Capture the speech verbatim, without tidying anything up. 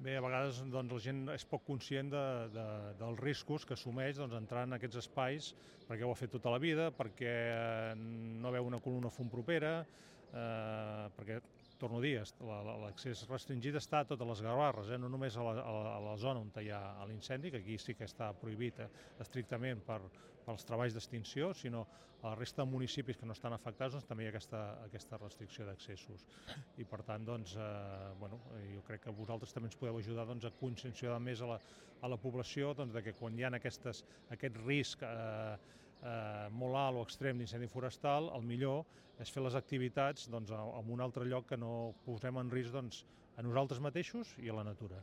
Bé, a vegades doncs, la gent és poc conscient de, de, dels riscos que assumeix doncs, entrar en aquests espais perquè ho ha fet tota la vida, perquè no veu una columna fum propera, eh, perquè, torno a dir, l'accés restringit està a totes les Gavarres, eh, no només a la, a, la, a la zona on hi ha l'incendi, que aquí sí que està prohibit eh, estrictament per, pels treballs d'extinció, sinó a la resta de municipis que no estan afectats doncs, també hi ha aquesta, aquesta restricció d'accessos. I per tant, doncs, eh, bueno, jo crec que vosaltres també ens podeu ajudar doncs, a conscienciar més a la, a la població doncs, de que quan hi ha aquestes, aquest risc eh, eh, molt alt o extrem d'incendi forestal, el millor és fer les activitats doncs, en un altre lloc que no posem en risc doncs, a nosaltres mateixos i a la natura.